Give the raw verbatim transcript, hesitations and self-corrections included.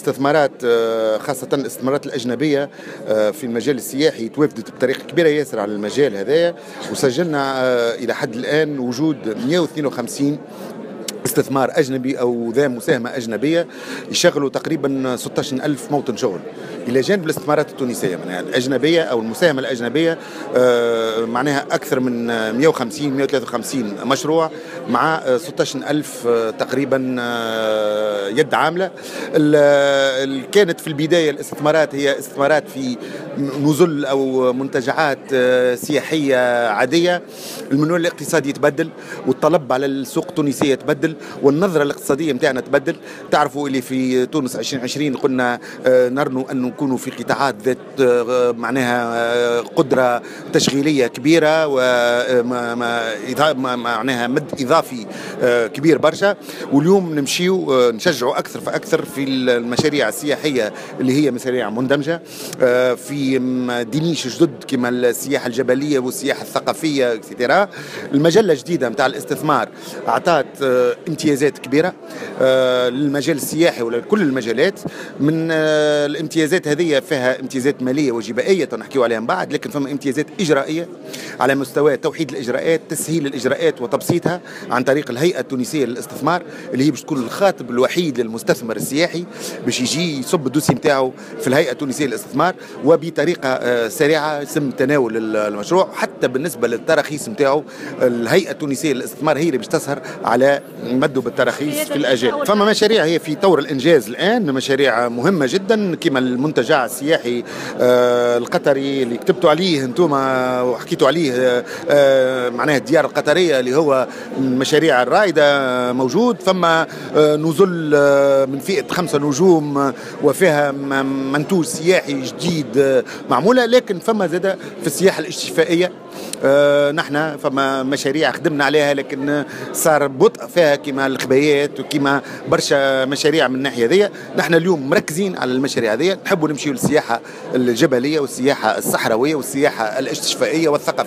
الاستثمارات، خاصة الاستثمارات الأجنبية في المجال السياحي، توافدت بطريقة كبيرة ياسر على المجال هذايا، وسجلنا إلى حد الآن وجود مئة واثنين وخمسين استثمار أجنبي أو ذا مساهمة أجنبية يشغلوا تقريبا ستة عشر ألف موطن شغل، إلى جانب الاستثمارات التونسية معناها الأجنبية أو المساهمة الأجنبية معناها أكثر من مئة وخمسين مئة وثلاثة وخمسين مشروع مع ستة عشر ألف تقريبا يد عاملة. كانت في البداية الاستثمارات هي استثمارات في نزل أو منتجعات سياحية عادية. المنوال الاقتصادي يتبدل، والطلب على السوق التونسية يتبدل، والنظرة الاقتصادية متاعنا تبدل. تعرفوا اللي في تونس عشرين عشرين قلنا نرنو أن نكونوا في قطاعات ذات معناها قدرة تشغيلية كبيرة ومعناها مد إضافي كبير برشا. واليوم نمشيو نشجعوا أكثر فأكثر في المشاريع السياحية اللي هي مشاريع مندمجة في des niches جدد كما السياحة الجبلية والسياحة الثقافية et cetera. المجلة الجديدة متاع الاستثمار أعطت امتيازات كبيرة للمجال السياحي ولا كل المجالات. من الامتيازات هذه فيها امتيازات مالية وجبائية نحكيو عليها من بعد، لكن فما امتيازات إجرائية على مستوى توحيد الإجراءات، تسهيل الإجراءات وتبسيطها عن طريق الهيئة التونسية للاستثمار اللي هي باش تكون الخاطب الوحيد للمستثمر السياحي باش يجي يصب ال dossier نتاعو في الهيئة التونسية للاستثمار، وبطريقة سريعة يتم تناول المشروع. حتى بالنسبة للتراخيص نتاعو الهيئة التونسية للاستثمار هي اللي باش تسهر على مده بالتراخيص في الأجال. فما مشاريع هي في طور الإنجاز الآن، مشاريع مهمة جدا كما المنتجع السياحي القطري اللي كتبتوا عليه انتم وحكيتوا عليه، معناها الديار القطرية اللي هو من المشاريع الرائدة موجود. فما نزل من فئة خمسة نجوم وفيها منتوج سياحي جديد معمولة. لكن فما زادة في السياحة الاستشفائية نحن فما مشاريع خدمنا عليها لكن صار بطء فيها كما الخبايات وكما برشا مشاريع من الناحية ذي. نحن اليوم مركزين على المشاريع ذي، نحبوا نمشيو للسياحة الجبلية والسياحة الصحراوية والسياحة الاستشفائية والثقافية.